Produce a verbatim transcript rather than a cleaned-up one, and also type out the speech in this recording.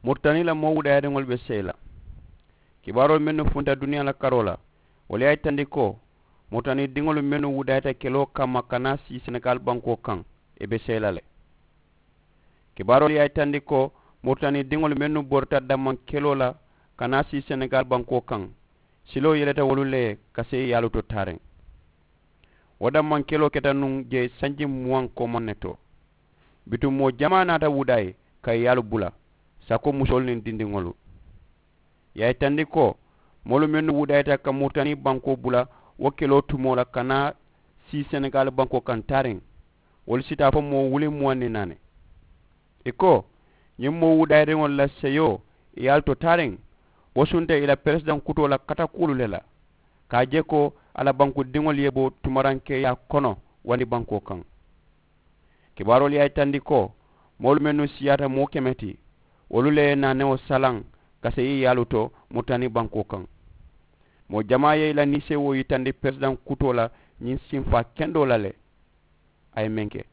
Muritani la moo wudaayiriŋolu be seyi la. Kibaaroolu mennu funta duniyaa la karoo la, wolu ye a yitandi ko muritani diŋolu mennu wudaayita keloo kamma ka naa sii senegaali bankoo kaŋ, ì be seyi la le. Kibaaroolu ye a yitandi ko muritani diŋolu mennu borita dammaŋ keloo la ka naa sii senegaali bankoo kaŋ, siloo yeleta wolu le ye ka seyi yaalu to taariŋ. Wo dammaŋ keloo keta nuŋ jee sanji muwaŋ koomaŋ ne to. Bituŋ moo jamaa naata wudaayi ka ì yaalu bula, sako musoolu niŋ dindiŋolu. Ì ye a yitandi ko moolu mennu wudaayita ka muritani bankoo bula wo keloo tumoo la ka naa sii senegaali bankoo kaŋ taariŋ, wolu si taa fo moo wuli muwaŋ niŋ naani. Ì ko ñiŋ moo wudaayiriŋolu la seyoo ì yaalu to taariŋ, wo sunta ì la peresidaŋ kutoo la katakuwolu le la, ka a je ko a la bankudiŋolu ye bo tumarankeeyaa kono wandi bankoo kaŋ. Kibaaroolu ye a yitandi ko moolu mennu siyaata moo keme ti, wolu le ye naanewo salaŋ ka seyi yaalu to muritani bankoo kaŋ. Moo jamaa ye ì la niiseewoo yitandi peresidaŋ kutoo la ñiŋ sinfaa kendoo la le. A ye meŋ ke